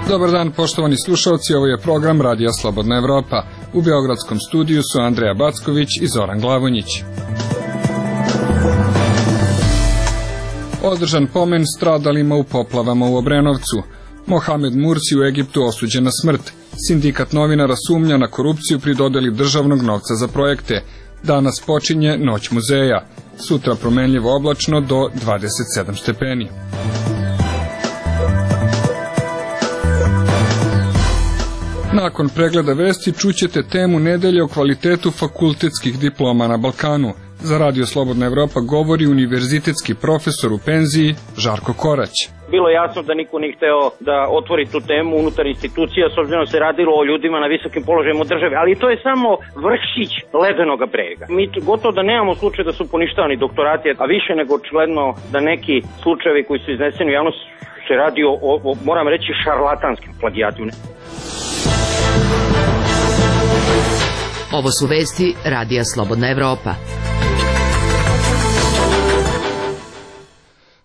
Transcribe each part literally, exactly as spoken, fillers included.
Dobar dan, poštovani slušalci, ovo je program Radija Slobodna Evropa. U beogradskom studiju su Andreja Backović i Zoran Glavonjić. Održan pomen stradalima u poplavama u Obrenovcu. Mohamed Mursi u Egiptu osuđen na smrt. Sindikat novinara sumnja na korupciju pri dodeli državnog novca za projekte. Danas počinje Noć muzeja. Sutra promenljivo oblačno do dvadeset sedam stepeni. Nakon pregleda vesti čućete temu nedelje o kvalitetu fakultetskih diploma na Balkanu. Za Radio Slobodna Evropa govori univerzitetski profesor u penziji Žarko Korać. Bilo jasno da niko nije hteo da otvori tu temu unutar institucija, s obzirom da se radilo o ljudima na visokim položajima u državi, ali to je samo vršić ledenog brega. Mi gotovo da nemamo slučaj da su poništavani doktorati, a više nego očigledno da neki slučajevi koji su izneseni u javnost se radi o, o moram reći, šarlatanskim plagijatima. Ovo su vesti Radija Slobodna Evropa.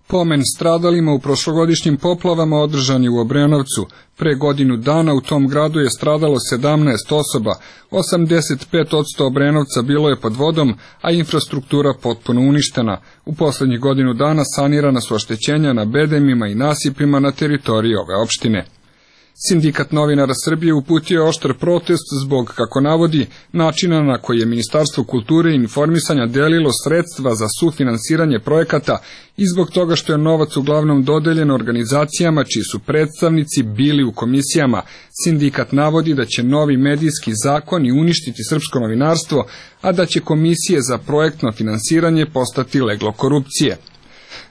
Pomen stradalima u prošlogodišnjim poplavama održan je u Obrenovcu. Pre godinu dana u tom gradu je stradalo sedamnaest osoba, osamdeset pet posto Obrenovca bilo je pod vodom, a infrastruktura potpuno uništena. U poslednjih godinu dana sanirana su oštećenja na bedemima i nasipima na teritoriji ove opštine. Sindikat novinara Srbije uputio je oštar protest zbog, kako navodi, načina na koji je Ministarstvo kulture i informisanja delilo sredstva za sufinansiranje projekata i zbog toga što je novac uglavnom dodeljen organizacijama čiji su predstavnici bili u komisijama. Sindikat navodi da će novi medijski zakoni uništiti srpsko novinarstvo, a da će komisije za projektno finansiranje postati leglo korupcije.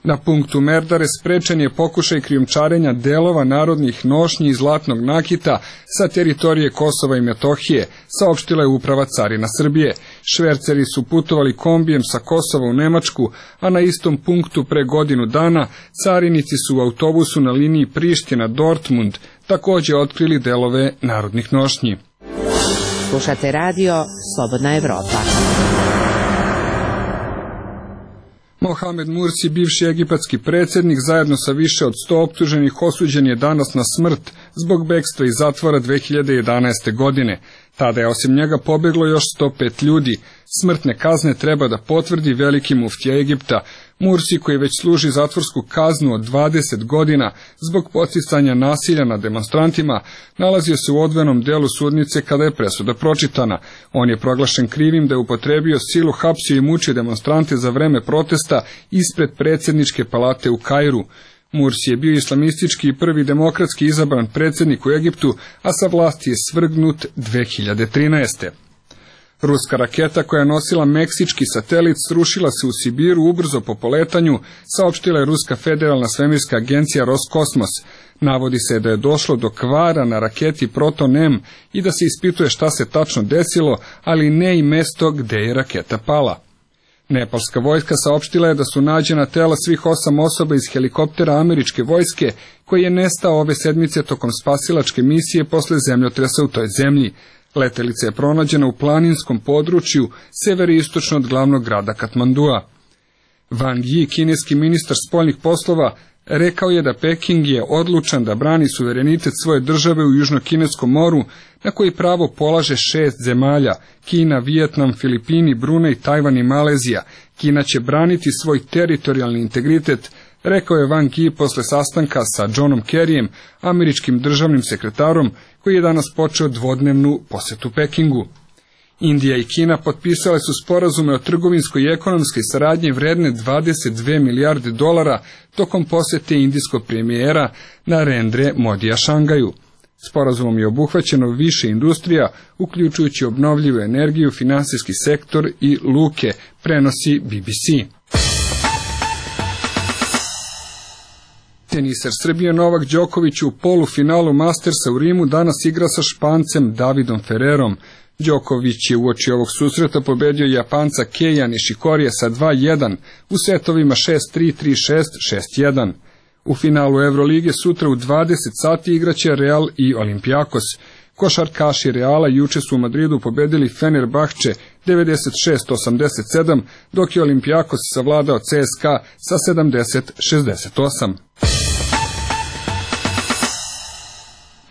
Na punktu Merdare sprečen je pokušaj krijumčarenja delova narodnih nošnji i zlatnog nakita sa teritorije Kosova i Metohije, saopštila je Uprava carina Srbije. Šverceri su putovali kombijem sa Kosova u Nemačku, a na istom punktu pre godinu dana carinici su u autobusu na liniji Priština-Dortmund takođe otkrili delove narodnih nošnji. Slušate radio Slobodna Evropa. Mohamed Mursi, bivši egipatski predsjednik, zajedno sa više od sto optuženih osuđen je danas na smrt zbog bekstva iz zatvora dve hiljade jedanaeste. godine. Tada je osim njega pobeglo još sto pet ljudi. Smrtne kazne treba da potvrdi veliki muftija Egipta. Mursi, koji već služi zatvorsku kaznu od dvadeset godina zbog podsticanja nasilja nad demonstrantima, nalazio se u odvojenom delu sudnice kada je presuda pročitana. On je proglašen krivim da je upotrebio silu, hapsio i mučio demonstrante za vreme protesta ispred predsjedničke palate u Kairu. Mursi je bio islamistički i prvi demokratski izabran predsjednik u Egiptu, a sa vlasti je svrgnut dve hiljade trinaeste. Ruska raketa koja je nosila meksički satelit srušila se u Sibiru ubrzo po poletanju, saopštila je Ruska federalna svemirska agencija Roskosmos. Navodi se da je došlo do kvara na raketi Proton M i da se ispituje šta se tačno desilo, ali ne i mesto gde je raketa pala. Nepalska vojska saopštila je da su nađena tela svih osam osoba iz helikoptera američke vojske koji je nestao ove sedmice tokom spasilačke misije posle zemljotresa u toj zemlji. Letelica je pronađena u planinskom području severistočno od glavnog grada Katmandua. Wang Yi, kineski ministar spoljnih poslova, rekao je da Peking je odlučan da brani suverenitet svoje države u Južnokineskom moru, na koji pravo polaže šest zemalja: Kina, Vijetnam, Filipini, Brunei, Tajvan i Malezija. Kina će braniti svoj teritorijalni integritet, rekao je Wang Yi posle sastanka sa Johnom Kerryjem, američkim državnim sekretarom, koji je danas počeo dvodnevnu posetu Pekingu. Indija i Kina potpisale su sporazume o trgovinskoj i ekonomskoj saradnji vredne dvadeset dve milijarde dolara tokom posete indijskog premijera Narendre Modija Šangaju. Sporazumom je obuhvaćeno više industrija, uključujući obnovljivu energiju, finansijski sektor i luke, prenosi B B C. Teniser Srbije Novak Đoković u polufinalu Mastersa u Rimu danas igra sa Špancem Davidom Ferrerom. Đoković je uoči ovog susreta pobedio Japanca Keija Nishikorija sa dva jedan u setovima šest tri, tri šest, šest jedan. U finalu Evrolige sutra u dvadeset sati igraće Real i Olimpijakos. Košarkaši Reala juče su u Madridu pobedili Fenerbahče devedeset šest osamdeset sedam, dok je Olimpijakos savladao C S K A sa sedamdeset šezdeset osam.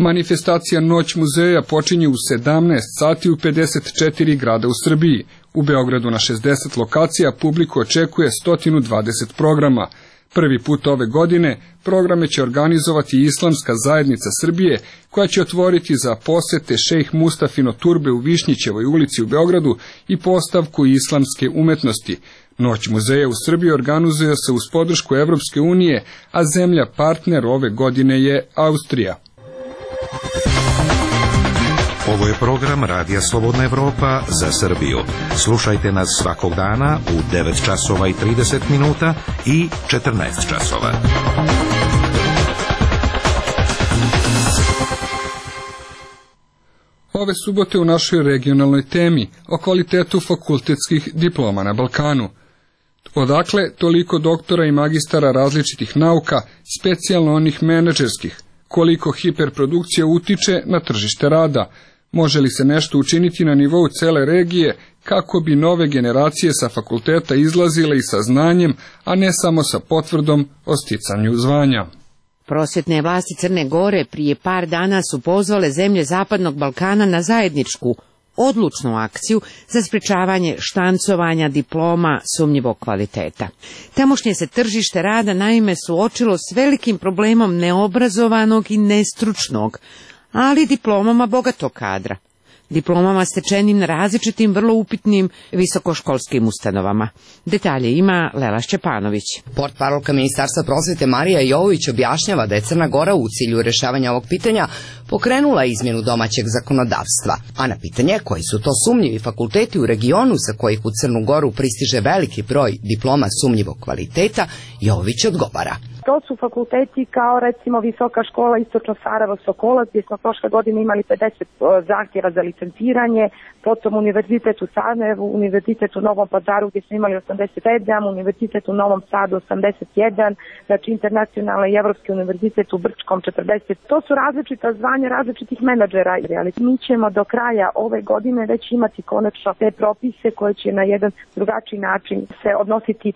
Manifestacija Noć muzeja počinje u sedamnaest sati u pedeset četiri grada u Srbiji. U Beogradu na šezdeset lokacija publiku očekuje sto dvadeset programa. Prvi put ove godine programe će organizovati Islamska zajednica Srbije, koja će otvoriti za posete šejh Mustafino turbe u Višnjićevoj ulici u Beogradu i postavku islamske umetnosti. Noć muzeja u Srbiji organizuje se uz podršku Evropske unije, a zemlja partner ove godine je Austrija. Ovo je program Radija Slobodna Evropa za Srbiju. Slušajte nas svakog dana u devet časova i trideset minuta i četrnaest časova. Ove subote u našoj regionalnoj temi o kvalitetu fakultetskih diploma na Balkanu. Odakle toliko doktora i magistara različitih nauka, specijalno onih menadžerskih, koliko hiperprodukcija utiče na tržište rada, može li se nešto učiniti na nivou cele regije kako bi nove generacije sa fakulteta izlazile i sa znanjem, a ne samo sa potvrdom o sticanju zvanja. Prosvetne vlasti Crne Gore prije par dana su pozvale zemlje Zapadnog Balkana na zajedničku, odlučnu akciju za sprečavanje štancovanja diploma sumnjivog kvaliteta. Tamošnje se tržište rada naime suočilo s velikim problemom neobrazovanog i nestručnog, ali diplomama bogatog kadra, diplomama stečenim na različitim vrlo upitnim visokoškolskim ustanovama. Detalje ima Lela Šćepanović. Portparolka Ministarstva prosvete Marija Jovović objašnjava da je Crna Gora u cilju rešavanja ovog pitanja pokrenula izmjenu domaćeg zakonodavstva, a na pitanje koji su to sumnjivi fakulteti u regionu sa kojih u Crnu Goru pristiže veliki broj diploma sumnjivog kvaliteta, Jovović odgovara. To su fakulteti kao recimo Visoka škola Istočno Sarajevo Sokolac, gdje smo prošle godine imali pedeset zahtjeva za licenciranje, potom Univerzitet u Sarajevu, Univerzitet u Novom Pazaru gdje smo imali osamdeset sedam, Univerzitet u Novom Sadu osamdeset jedan, znači Internacionalni i Evropski univerzitet u Brčkom četrdeset. To su različita zvanja različitih menadžera. Mi ćemo do kraja ove godine već imati konačno te propise koje će na jedan drugačiji način se odnositi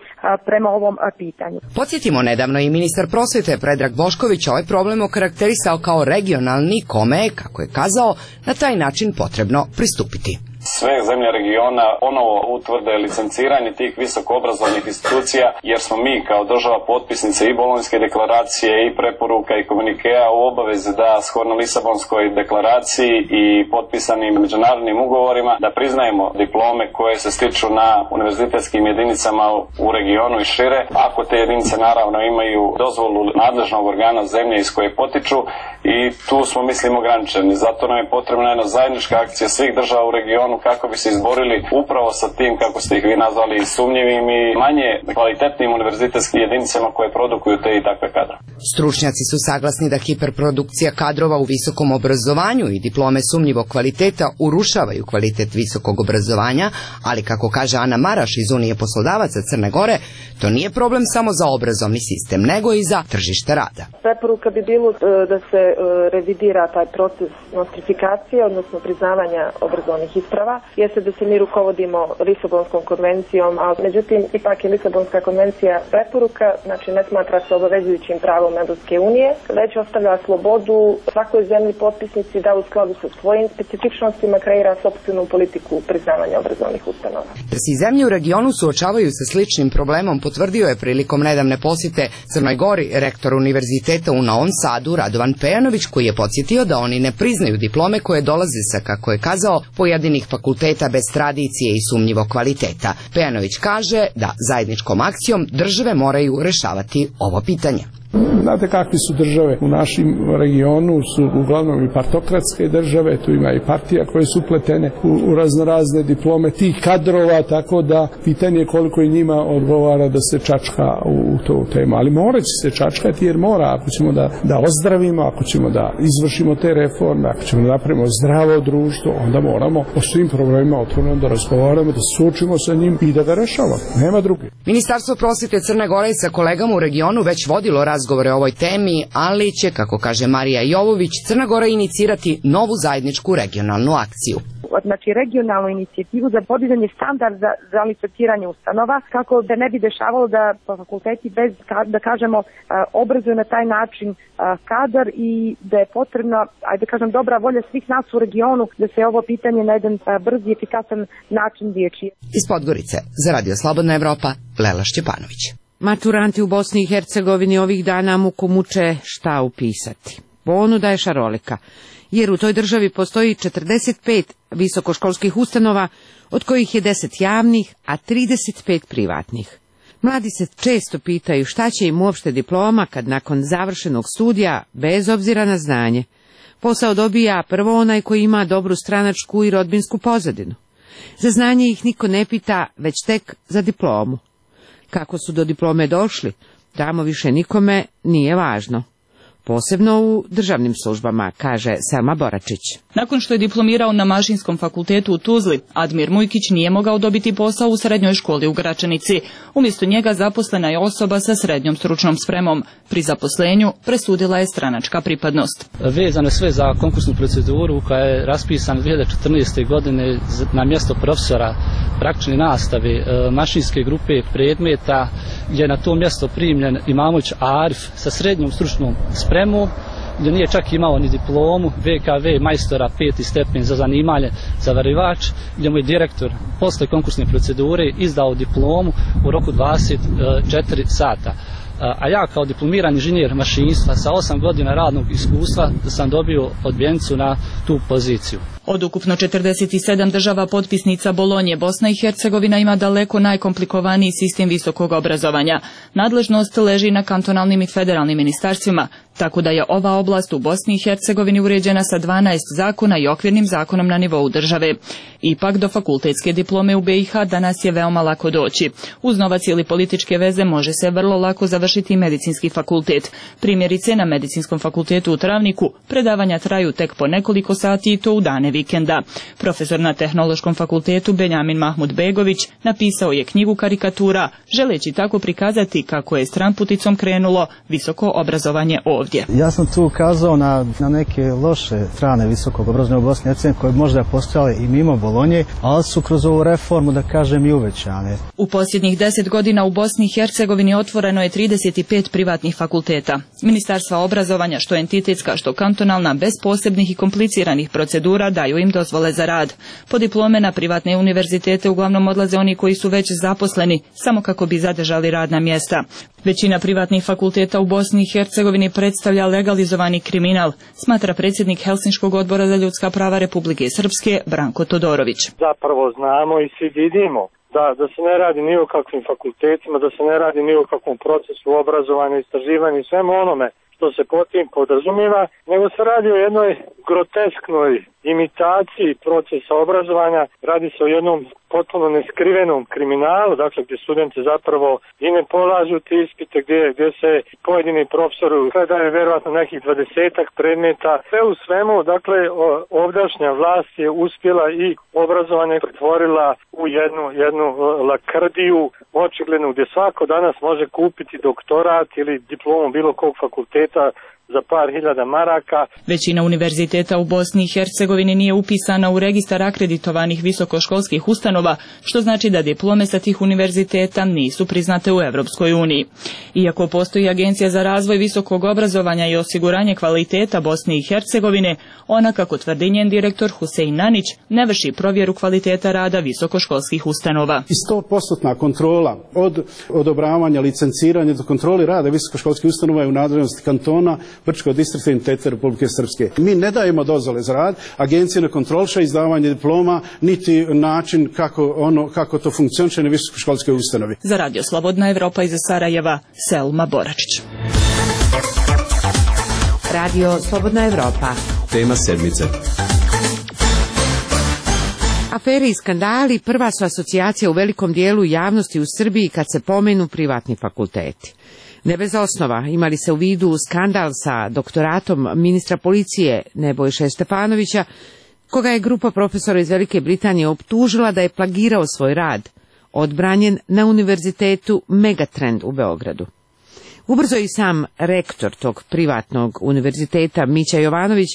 prema ovom pitanju. Podsjetimo, nedavno i ministar prosvete Predrag Bošković ovaj problem okarakterisao kao regionalni, kome je, kako je kazao, na taj način potrebno pristupiti. Sve zemlje regiona ponovo utvrde licenciranje tih visokoobrazovnih institucija, jer smo mi kao država potpisnice i Bolonjske deklaracije i preporuka i komunikea u obavezi da shodno Lisabonskoj deklaraciji i potpisanim međunarodnim ugovorima da priznajemo diplome koje se stiču na univerzitetskim jedinicama u regionu i šire, ako te jedinice naravno imaju dozvolu nadležnog organa zemlje iz koje potiču, i tu smo mislim ograničeni. Zato nam je potrebna jedna zajednička akcija svih država u regionu kako bi se izborili upravo sa tim, kako ste ih vi nazvali, sumnjivim i manje kvalitetnim univerzitetskim jedinicama koje produkuju te i takve kadre. Stručnjaci su saglasni da hiperprodukcija kadrova u visokom obrazovanju i diplome sumnjivog kvaliteta urušavaju kvalitet visokog obrazovanja, ali kako kaže Ana Maraš iz Unije poslodavaca Crne Gore, to nije problem samo za obrazovni sistem, nego i za tržište rada. Preporuka bi bilo da se revidira taj proces nostrifikacije, odnosno priznavanja obrazovnih isprava, jeste da se mi rukovodimo Lisabonskom konvencijom, a međutim ipak je Lisabonska konvencija preporuka, znači ne smatra se obavezujućim pravom Evropske unije, već ostavlja slobodu svakoj zemlji potpisnici da u skladu sa svojim specifičnostima kreira sopstvenu politiku priznavanja obrazovnih ustanova. Da se zemlje u regionu suočavaju sa sličnim problemom potvrdio je prilikom nedavne posjete Crnoj Gori rektor univerziteta u Novom Sadu Radovan Pejanović, koji je podsjetio da oni ne priznaju diplome koje dolaze sa, kako je kazao, pojedinih fakulteta bez tradicije i sumnjivog kvaliteta. Pejanović kaže da zajedničkom akcijom države moraju rešavati ovo pitanje. Znate kakvi su države u našem regionu, su uglavnom i partokratske države, tu ima i partija koje su upletene u, u raznorazne diplome tih kadrova, tako da pitanje je koliko i njima odgovara da se čačka u, u tu temu. Ali morat će se čačkati jer mora, ako ćemo da, da ozdravimo, ako ćemo da izvršimo te reforme, ako ćemo da napravimo zdravo društvo, onda moramo o svim problemima otvoreno da razgovaramo, da suočimo sa njim i da ga rešavamo. Nema druge. Ministarstvo prosvete Crne Gore sa kolegama u regionu već vodilo razgovore o ovoj temi, ali će, kako kaže Marija Jovović, Crna Gora inicirati novu zajedničku regionalnu akciju. znači regionalnu inicijativu za podizanje standarda za, za licenciranje ustanova, kako da ne bi dešavalo da fakulteti bez, da kažemo, obrazuju na taj način kadar i da je potrebna, ajde da kažem, dobra volja svih nas u regionu da se ovo pitanje na jedan brz i efikasan način riješi. Iz Podgorice, za Radio Slobodna Evropa, Lela Šćepanović. Maturanti u Bosni i Hercegovini ovih dana muku muče šta upisati. Ponuda je šarolika, jer u toj državi postoji četrdeset pet visokoškolskih ustanova, od kojih je deset javnih, a trideset pet privatnih. Mladi se često pitaju šta će im uopšte diploma kad nakon završenog studija, bez obzira na znanje, posao dobija prvo onaj koji ima dobru stranačku i rodbinsku pozadinu. Za znanje ih niko ne pita, već tek za diplomu. Kako su do diplome došli, tamo više nikome nije važno. Posebno u državnim službama, kaže Selma Boračić. Nakon što je diplomirao na Mašinskom fakultetu u Tuzli, Admir Mujkić nije mogao dobiti posao u srednjoj školi u Gračanici. Umjesto njega zaposlena je osoba sa srednjom stručnom spremom. Pri zaposlenju presudila je stranačka pripadnost. Vezano sve za konkursnu proceduru koja je raspisana dvije hiljade četrnaeste. godine na mjesto profesora praktične nastave mašinske grupe predmeta je na to mjesto primljen Imamović Arif sa srednjom stručnom spremom, gdje nije čak imao ni diplomu, V K V majstora peti stepen za zanimanje zavarivač, gdje mu je direktor posle konkursne procedure izdao diplomu u roku dvadeset četiri sata. A ja kao diplomirani inženjer mašinstva sa osam godina radnog iskustva sam dobio odbijenicu na tu poziciju. Od ukupno četrdeset sedam država potpisnica Bolonje, Bosna i Hercegovina ima daleko najkomplikovaniji sistem visokog obrazovanja. Nadležnost leži na kantonalnim i federalnim ministarstvima, tako da je ova oblast u Bosni i Hercegovini uređena sa dvanaest zakona i okvirnim zakonom na nivou države. Ipak do fakultetske diplome u B i H danas je veoma lako doći. Uz novac ili političke veze može se vrlo lako završiti medicinski fakultet. Primjerice, na Medicinskom fakultetu u Travniku predavanja traju tek po nekoliko sati i to u dane vikenda. Profesor na Tehnološkom fakultetu Benjamin Mahmud Begović napisao je knjigu karikatura, želeći tako prikazati kako je stramputicom krenulo visoko obrazovanje ovdje. Ja sam tu ukazao na, na neke loše strane visokog obrazovanja u Bosni i Hercegovini koje možda postojale i mimo Bolonje, ali su kroz ovu reformu, da kažem, i uvećane. U posljednjih deset godina u Bosni i Hercegovini otvoreno je trideset pet privatnih fakulteta. Ministarstva obrazovanja, što entitetska, što kantonalna, bez posebnih i kompliciranih procedura daju im dozvole za rad. Po diplome na privatne univerzitete uglavnom odlaze oni koji su već zaposleni, samo kako bi zadržali radna mjesta. Većina privatnih fakulteta u Bosni i Hercegovini predstavlja legalizovani kriminal, smatra predsjednik Helsinškog odbora za ljudska prava Republike Srpske Branko Todorović. Zapravo znamo i svi vidimo da, da se ne radi ni o kakvim fakultetima, da se ne radi ni o kakvom procesu obrazovanja, istraživanja i svemu onome što se pod tim podrazumijeva, nego se radi o jednoj grotesknoj imitaciji procesa obrazovanja, radi se o jednom potpuno neskrivenom kriminalu, dakle gdje studenti zapravo i ne polažu te ispite, gdje, gdje se pojedini profesori predaju vjerojatno nekih dvadesetak predmeta. Sve u svemu, dakle, ovdašnja vlast je uspjela i obrazovanje pretvorila u jednu, jednu lakrdiju, očiglednu, gdje svako danas može kupiti doktorat ili diplomu bilo kog fakulteta za par hiljada maraka. Većina univerziteta u Bosni i Hercegovini nije upisana u registar akreditovanih visokoškolskih ustanova, što znači da diplome sa tih univerziteta nisu priznate u Europskoj uniji. Iako postoji Agencija za razvoj visokog obrazovanja i osiguranje kvaliteta Bosne i Hercegovine, ona, kako tvrdi njen direktor Husein Nanić, ne vrši provjeru kvaliteta rada visokoškolskih ustanova. I sto posto kontrola od odobravanja, licenciranja do kontroli rada visokoškolskih ustanova je u nadležnosti kantona, Brčko-distriktne entitete Republike Srpske. Mi ne dajemo dozvole za rad, agencija ne kontroliše izdavanje diploma, niti način kako, ono, kako to funkcioniše na visokoškolskoj ustanovi. Za Radio Slobodna Evropa iz Sarajeva, Selma Boračić. Radio Slobodna Evropa. Tema sedmice. Afere i skandali prva su asocijacija u velikom dijelu javnosti u Srbiji kad se pomenu privatni fakulteti. Ne bez osnova, imali se u vidu skandal sa doktoratom ministra policije Nebojše Stefanovića, koga je grupa profesora iz Velike Britanije optužila da je plagirao svoj rad, odbranjen na univerzitetu Megatrend u Beogradu. Ubrzo i sam rektor tog privatnog univerziteta Mića Jovanović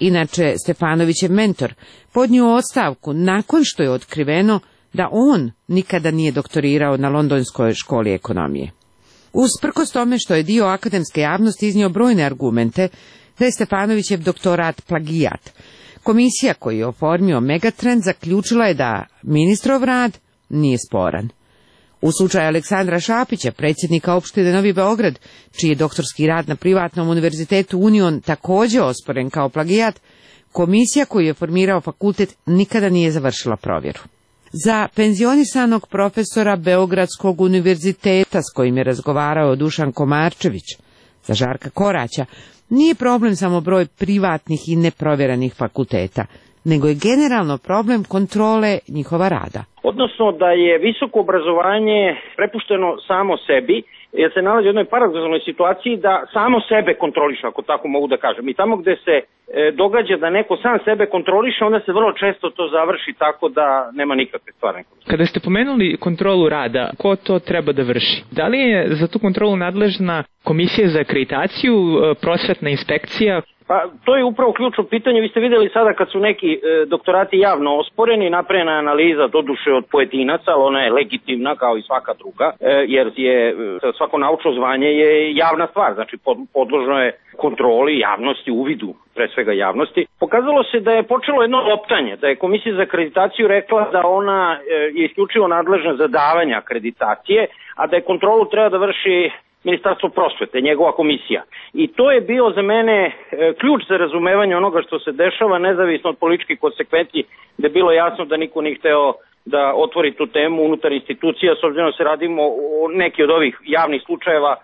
inače Stefanovićev mentor, podnio ostavku nakon što je otkriveno da on nikada nije doktorirao na Londonskoj školi ekonomije. Usprkos tome što je dio akademske javnosti iznio brojne argumente da je Stefanovićev doktorat plagijat, komisija koju je oformio Megatrend zaključila je da ministrov rad nije sporan. U slučaju Aleksandra Šapića, predsjednika opštine Novi Beograd, čiji je doktorski rad na privatnom univerzitetu Union također osporen kao plagijat, komisija koju je formirao fakultet nikada nije završila provjeru. Za penzionisanog profesora Beogradskog univerziteta s kojim je razgovarao Dušan Komarčević, za Žarka Koraća, nije problem samo broj privatnih i neprovjerenih fakulteta, nego je generalno problem kontrole njihova rada. Odnosno da je visoko obrazovanje prepušteno samo sebi, jer se nalazi u jednoj paradoksalnoj situaciji da samo sebe kontroliše, ako tako mogu da kažem. I tamo gde se e, događa da neko sam sebe kontroliše, onda se vrlo često to završi tako da nema nikakve stvarne kontrole. Kada ste pomenuli kontrolu rada, ko to treba da vrši? Da li je za tu kontrolu nadležna komisija za akreditaciju, prosvetna inspekcija? Pa to je upravo ključno pitanje. Vi ste vidjeli sada kad su neki e, doktorati javno osporeni, napravljena analiza doduše od pojedinaca, ali ona je legitimna kao i svaka druga, e, jer je e, svako naučno zvanje je javna stvar, znači pod, podložno je kontroli javnosti, uvidu pre svega javnosti. Pokazalo se da je počelo jedno optanje, da je komisija za akreditaciju rekla da ona e, je isključivo nadležna za davanje akreditacije, a da je kontrolu treba da vrši Ministarstvo prosvete, njegova komisija. I to je bio za mene e, ključ za razumevanje onoga što se dešava, nezavisno od političkih konsekvenci, da je bilo jasno da niko nije hteo da otvori tu temu unutar institucija, s obzirom da se radimo o neki od ovih javnih slučajeva,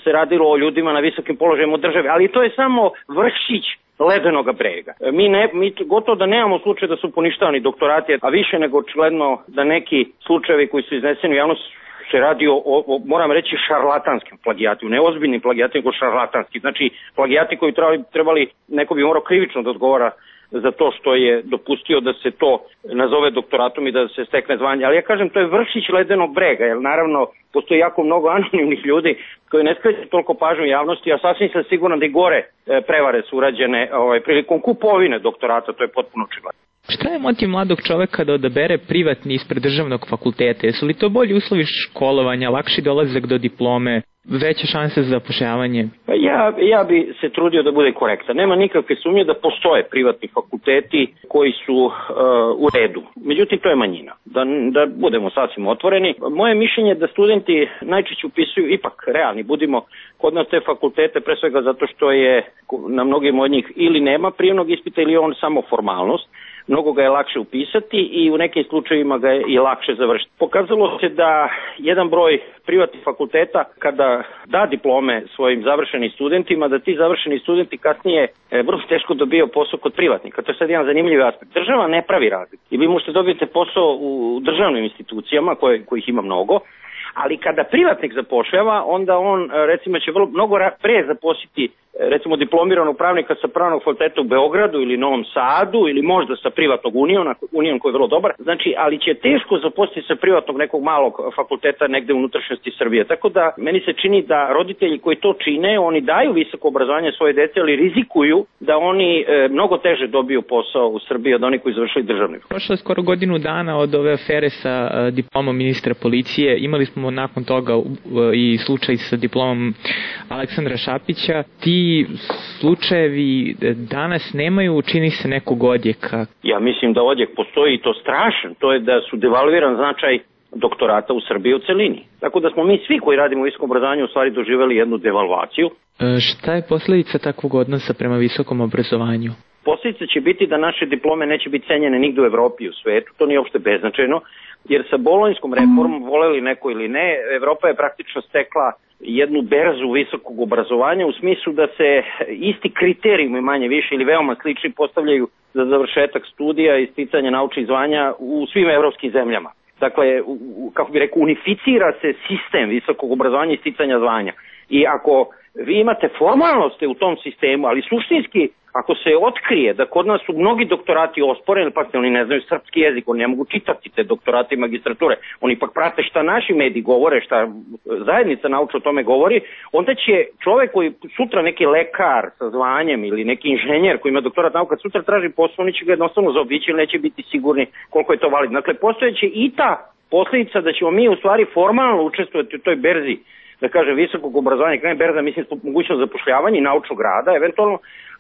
se radilo o ljudima na visokim položajima u državi, ali to je samo vršić ledenog brega. Mi, ne, mi gotovo da nemamo slučaj da su poništavani doktorati, a više nego očigledno da neki slučajevi koji su izneseni u javnost se radi o, o, moram reći, šarlatanskim plagijatima, ne ozbiljnim plagijatima, nego šarlatanskim. Znači, plagijati koji trebali, trebali, neko bi morao krivično da odgovara za to što je dopustio da se to nazove doktoratom i da se stekne zvanje. Ali ja kažem, to je vršić ledenog brega, jer naravno postoji jako mnogo anonimnih ljudi koji ne skreću toliko pažnju javnosti, a sasvim sam siguran da i gore prevare su urađene ovaj, prilikom kupovine doktorata, to je potpuno očigledno. Šta je motiv mladog čoveka da odabere privatni ispred državnog fakulteta? Jesu li to bolji uslovi školovanja, lakši dolazak do diplome, veće šanse za zapošljavanje? Pa ja, ja bi se trudio da bude korektan. Nema nikakve sumnje da postoje privatni fakulteti koji su uh, u redu. Međutim, to je manjina. Da, da budemo sasvim otvoreni. Moje mišljenje je da studenti najčešće upisuju, ipak realni, budimo kod nas te fakultete, pre svega zato što je na mnogim od njih ili nema prijemnog ispita ili on samo formalnost. Mnogo ga je lakše upisati i u nekim slučajevima ga je i lakše završiti. Pokazalo se da jedan broj privatnih fakulteta kada da diplome svojim završenim studentima, da ti završeni studenti kasnije e, vrlo teško dobijaju posao kod privatnika. To je sad jedan zanimljiv aspekt. Država ne pravi razliku. I vi možete dobiti posao u državnim institucijama koje, kojih ima mnogo, ali kada privatnik zapošljava, onda on recimo će vrlo, mnogo pre zaposliti recimo diplomiranog pravnika sa pravnog fakulteta u Beogradu ili Novom Sadu ili možda sa privatnog Uniona, Union koji je vrlo dobar, znači, ali će teško zaposliti sa privatnog nekog malog fakulteta negde u unutrašnjosti Srbije. Tako da meni se čini da roditelji koji to čine, oni daju visoko obrazovanje svoje dece, ali rizikuju da oni e, mnogo teže dobiju posao u Srbiji od onih koji završili državni. Prošlo je skoro godinu dana od ove afere sa uh, diplomom ministra policije. Imali smo nakon toga uh, i slučaj sa diplomom Aleksandra Šapića. Ti slučajevi danas nemaju, čini se, nekog odjeka. Ja mislim da odjek postoji i to strašan. To je da su devalviran značaj doktorata u Srbiji u celini. Tako da smo mi svi koji radimo u visokom obrazovanju u stvari doživjeli jednu devalvaciju. E, šta je posljedica takvog odnosa prema visokom obrazovanju? Posljedica će biti da naše diplome neće biti cenjene nigde u Evropi i u svetu. To nije uopšte beznačajno, jer sa bolonjskom reformom, voleli neko ili ne, Evropa je praktično stekla jednu berzu visokog obrazovanja u smislu da se isti kriterijumi manje više ili veoma slični postavljaju za završetak studija i sticanje naučnih zvanja u svim evropskim zemljama. Dakle, kako bi rekao, unificira se sistem visokog obrazovanja i sticanja zvanja. I ako vi imate formalnosti u tom sistemu, ali suštinski, ako se otkrije da kod nas su mnogi doktorati osporeni, pa oni ne znaju srpski jezik, oni ne mogu čitati te doktorate i magistrature, oni ipak prate šta naši mediji govore, šta zajednica nauča o tome govori, onda će čovek koji sutra neki lekar sa zvanjem ili neki inženjer koji ima doktorat nauka, sutra traži posao, oni će ga jednostavno zaobići ili neće biti sigurni koliko je to validno. Dakle, postojeće i ta posljedica da ćemo mi u stvari formalno učestvovati u toj berzi, da kažem, visokog obrazovanja, kada je berza, mislim, mogućnost zapošljavanja i naučnog rada, eventualno,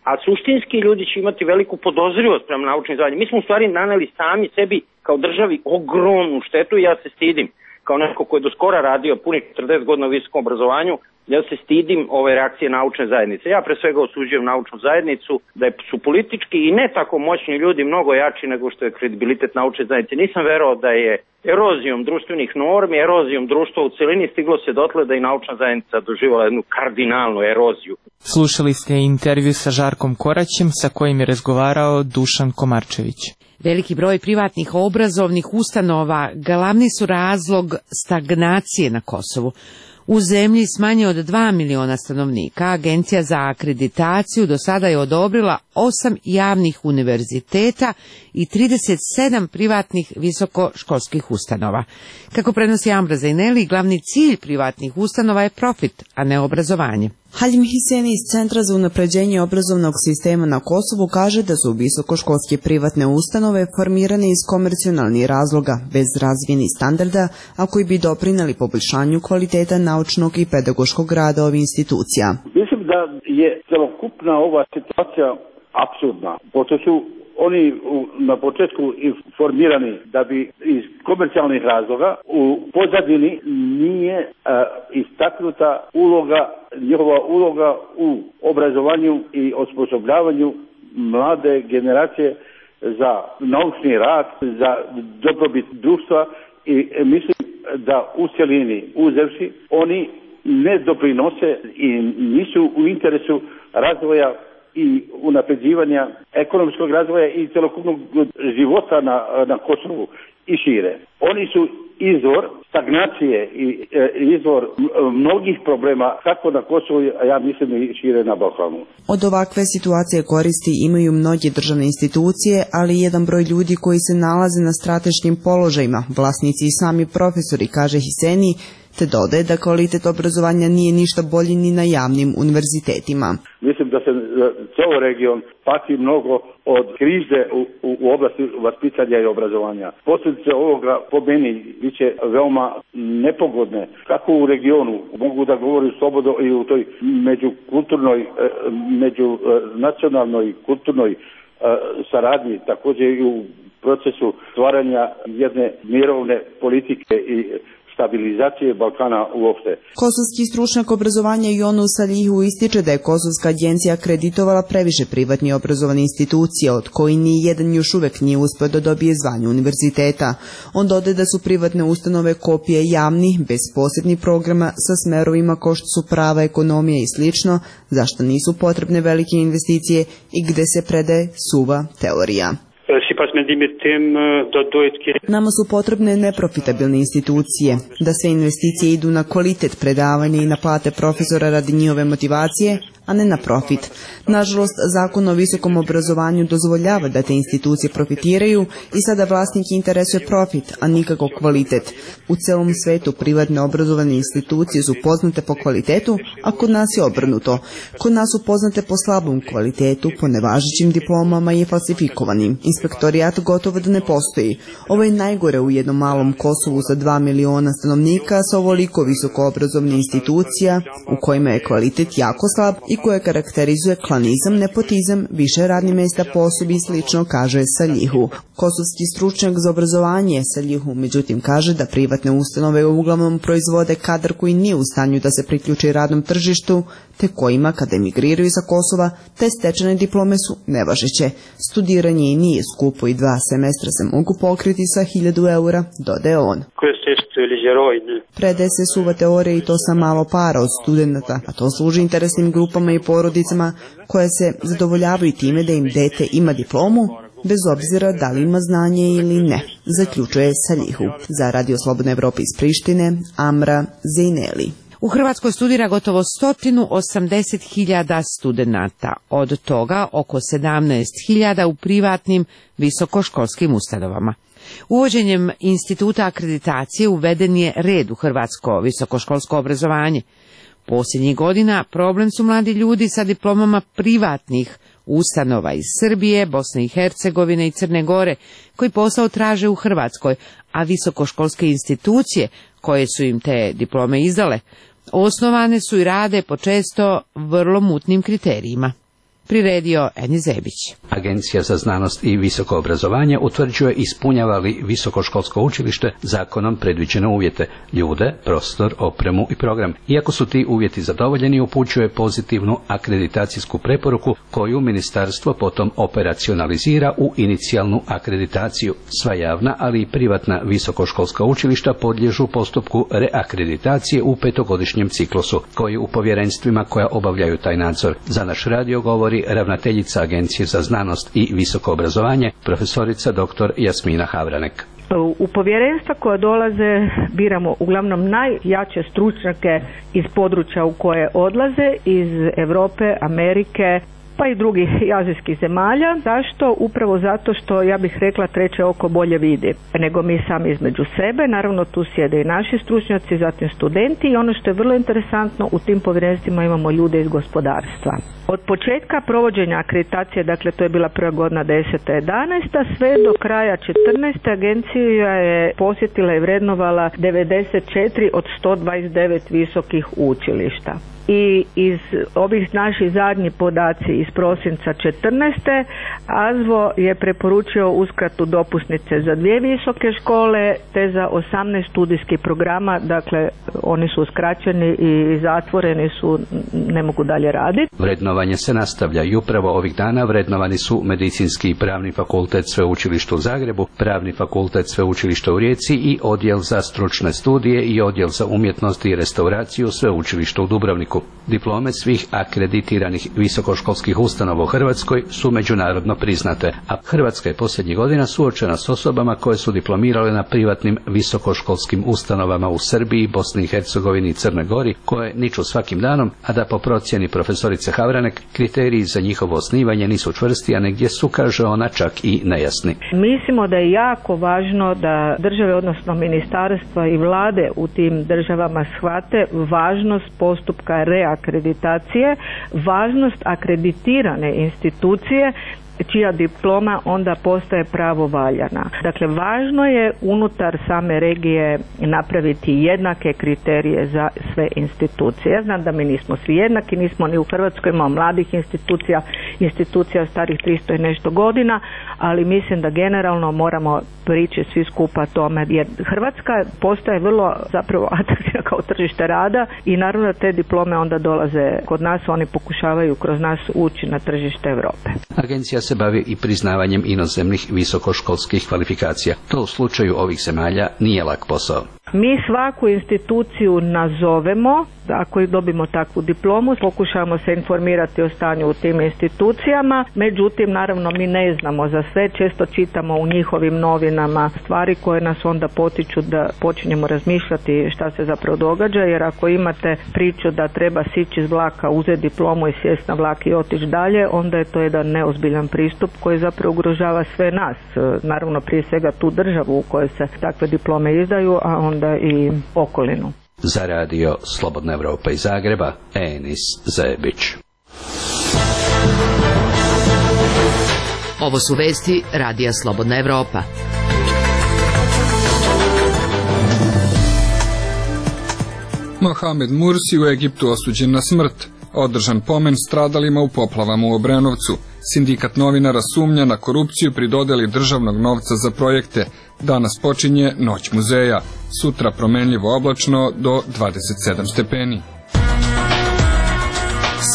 a suštinski ljudi će imati veliku podozrivost prema naučnim zvanjima. Mi smo u stvari naneli sami sebi kao državi ogromnu štetu i ja se stidim, kao neko ko je do skora radio punih četrdeset godina u visokom obrazovanju, ja se stidim ove reakcije naučne zajednice. Ja pre svega osuđujem naučnu zajednicu, da su politički i ne tako moćni ljudi mnogo jači nego što je kredibilitet naučne zajednice. Nisam verovao da je erozijom društvenih normi, erozijom društva u celini stiglo se dotle da i naučna zajednica doživjela jednu kardinalnu eroziju. Slušali ste intervju sa Žarkom Koraćem, sa kojim je razgovarao Dušan Komarčević. Veliki broj privatnih obrazovnih ustanova glavni su razlog stagnacije na Kosovu. U zemlji s manje od dva miliona stanovnika Agencija za akreditaciju do sada je odobrila osam javnih univerziteta i trideset sedam privatnih visokoškolskih ustanova. Kako prenosi Amra Zajneli, glavni cilj privatnih ustanova je profit, a ne obrazovanje. Halim Hiseni iz Centra za unapređenje obrazovnog sistema na Kosovu kaže da su visokoškolske privatne ustanove formirane iz komercionalnih razloga, bez razvijenih standarda, a koji bi doprineli poboljšanju kvaliteta naučnog i pedagoškog rada ovih institucija. Mislim da je celokupna ova situacija apsurdna, pošto su oni na početku formirani da bi iz komercijalnih razloga u pozadini nije uh, istaknuta uloga, njihova uloga u obrazovanju i osposobljavanju mlade generacije za naučni rad, za dobrobit društva i mislim da u cjelini uzevši oni ne doprinose i nisu u interesu razvoja i unapređivanja ekonomskog razvoja i celokupnog života na, na Kosovu i šire. Oni su izvor stagnacije i e, izvor mnogih problema kako na Kosovu, a ja mislim i šire na Balkanu. Od ovakve situacije koristi imaju mnoge državne institucije, ali jedan broj ljudi koji se nalaze na strateškim položajima, vlasnici i sami profesori, kaže Hiseni, te dodaje da kvalitet obrazovanja nije ništa bolji ni na javnim univerzitetima. Mislim da se ceo region pati mnogo od krize u, u, u oblasti vaspitanja i obrazovanja. Posljedice ovoga po meni biće veoma nepogodne, kako u regionu, mogu da govorim slobodno i u toj međukulturnoj, međunacionalnoj kulturnoj saradnji, također i u procesu stvaranja jedne mirovne politike i stabilizacije Balkana uopšte. Kosovski stručnjak obrazovanja Jonu Salihu ističe da je Kosovska agencija akreditovala previše privatni obrazovane institucije, od koji ni jedan još uvek nije uspeo da dobije zvanje univerziteta. On dodaje da su privatne ustanove kopije javnih, bez posebnih programa sa smerovima kao što su prava, ekonomija i slično, zašto nisu potrebne velike investicije i gde se predaje suva teorija. Nama su potrebne neprofitabilne institucije, da sve investicije idu na kvalitet predavanja i na plate profesora radi njihove motivacije, a ne na profit. Nažalost, zakon o visokom obrazovanju dozvoljava da te institucije profitiraju i sada vlasnik interesuje profit, a nikako kvalitet. U celom svetu privatne obrazovane institucije su poznate po kvalitetu, a kod nas je obrnuto. Kod nas su poznate po slabom kvalitetu, po nevažećim diplomama i falsifikovanim. Inspektorijat gotovo da ne postoji. Ovo je najgore u jednom malom Kosovu sa dva miliona stanovnika sa ovoliko visoko obrazovne institucija u kojima je kvalitet jako slab i koje karakterizuje klanizam, nepotizam, više radnih mesta po osobi i slično, kaže Salihu. Kosovski stručnjak za obrazovanje Salihu međutim kaže da privatne ustanove uglavnom proizvode kadar koji nije u stanju da se priključi radnom tržištu, te kojima kada emigriraju sa Kosova, te stečene diplome su nevažeće. Studiranje i nije skupo i dva semestra se mogu pokriti sa hiljadu eura, dodaje on. Predaje se suva teorija i to sa malo para od studenta, a to služi interesnim grupama i porodicama koje se zadovoljavaju time da im dete ima diplomu, bez obzira da li ima znanje ili ne, zaključuje Salihu. Za Radio Slobodna Evropa iz Prištine, Amra Zejneli. U Hrvatskoj studira gotovo sto osamdeset hiljada studenata, od toga oko sedamnaest hiljada u privatnim visokoškolskim ustanovama. Uvođenjem instituta akreditacije uveden je red u hrvatsko visokoškolsko obrazovanje. Posljednjih godina problem su mladi ljudi sa diplomama privatnih ustanova iz Srbije, Bosne i Hercegovine i Crne Gore, koji posao traže u Hrvatskoj, a visokoškolske institucije koje su im te diplome izdale, osnovane su i rade po često vrlo mutnim kriterijima. Priredio Eni Zebić. Agencija za znanost i visoko obrazovanje utvrđuje ispunjava li visokoškolsko učilište zakonom predviđene uvjete, ljude, prostor, opremu i program. Iako su ti uvjeti zadovoljeni, upućuje pozitivnu akreditacijsku preporuku koju ministarstvo potom operacionalizira u inicijalnu akreditaciju. Sva javna, ali i privatna visokoškolska učilišta podliježu postupku reakreditacije u petogodišnjem ciklusu, koji u povjerenstvima koja obavljaju taj nadzor. Za naš radio govori ravnateljica Agencije za znanost i visoko obrazovanje, profesorica doktor Jasmina Havranek. U povjerenstva koja dolaze biramo uglavnom najjače stručnjake iz područja u koje odlaze, iz Europe, Amerike, pa i drugih azijskih zemalja. Zašto? Upravo zato što, ja bih rekla, treće oko bolje vidi nego mi sami između sebe. Naravno, tu sjede i naši stručnjaci, zatim studenti, i ono što je vrlo interesantno, u tim povjerenstvima imamo ljude iz gospodarstva. Od početka provođenja akreditacije, dakle to je bila prva godina deseta jedanaesta, sve do kraja četrnaeste agencija je posjetila i vrednovala devedeset četiri od sto dvadeset devet visokih učilišta. I iz ovih naših zadnjih podaci iz prosinca četrnaeste AZVO je preporučio uskratu dopusnice za dvije visoke škole te za osamnaest studijskih programa, dakle oni su uskraćeni i zatvoreni su, ne mogu dalje raditi. Vrednovanje se nastavlja i upravo ovih dana vrednovani su Medicinski i Pravni fakultet Sveučilišta u Zagrebu, Pravni fakultet Sveučilišta u Rijeci i Odjel za stručne studije i Odjel za umjetnost i restauraciju Sveučilišta u Dubrovniku. Diplome svih akreditiranih visokoškolskih ustanova u Hrvatskoj su međunarodno priznate, a Hrvatska je posljednjih godina suočena s osobama koje su diplomirale na privatnim visokoškolskim ustanovama u Srbiji, Bosni i Hercegovini i Crnoj Gori, koje niču svakim danom, a da po procjeni profesorice Havranek kriteriji za njihovo osnivanje nisu čvrsti, a negdje su, kaže ona, čak i nejasni. Mislimo da je jako važno da države, odnosno ministarstva i vlade u tim državama shvate važnost postupka reakreditacije, važnost akreditirane institucije čija diploma onda postaje pravovaljana. Dakle, važno je unutar same regije napraviti jednake kriterije za sve institucije. Ja znam da mi nismo svi jednaki, nismo ni u Hrvatskoj, imamo mladih institucija, institucija starih tristo i nešto godina, ali mislim da generalno moramo prići svi skupa tome, jer Hrvatska postaje vrlo zapravo atraktivna kao tržište rada i naravno da te diplome onda dolaze kod nas, oni pokušavaju kroz nas ući na tržište Europe. Agencija se bavi i priznavanjem inozemnih visokoškolskih kvalifikacija. To u slučaju ovih zemalja nije lak posao. Mi svaku instituciju nazovemo, ako dobimo takvu diplomu, pokušamo se informirati o stanju u tim institucijama, međutim, naravno, mi ne znamo za sve, često čitamo u njihovim novinama stvari koje nas onda potiču da počinjemo razmišljati šta se zapravo događa, jer ako imate priču da treba sići iz vlaka, uzeti diplomu i sjesti na vlak i otići dalje, onda je to jedan neozbiljan pristup koji zapravo ugrožava sve nas, naravno prije svega tu državu u kojoj se takve diplome izdaju, a onda i okolinu. Za radio Slobodna Evropa iz Zagreba, Enis Zebić. Ovo su vesti radija Slobodna Evropa. Mohamed Mursi u Egiptu osuđen na smrt. Održan pomen stradalima u poplavama u Obrenovcu. Sindikat novinara sumnja na korupciju pri dodeli državnog novca za projekte. Danas počinje Noć muzeja. Sutra promenljivo oblačno do dvadeset sedam stepeni.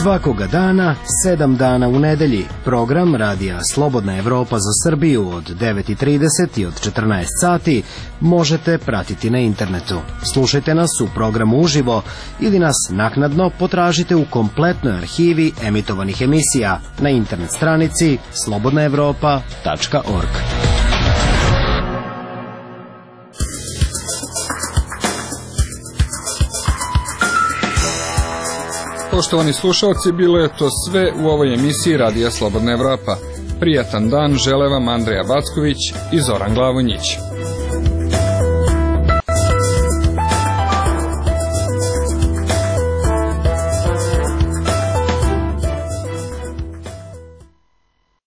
Svakoga dana, sedam dana u nedelji, program radija Slobodna Evropa za Srbiju od devet i trideset i od četrnaest sati možete pratiti na internetu. Slušajte nas u programu uživo ili nas naknadno potražite u kompletnoj arhivi emitovanih emisija na internet stranici slobodna evropa tačka org. Poštovani slušalci, bilo je to sve u ovoj emisiji Radija Slobodna Evropa. Prijatan dan žele vam Andreja Backović i Zoran Glavonjić.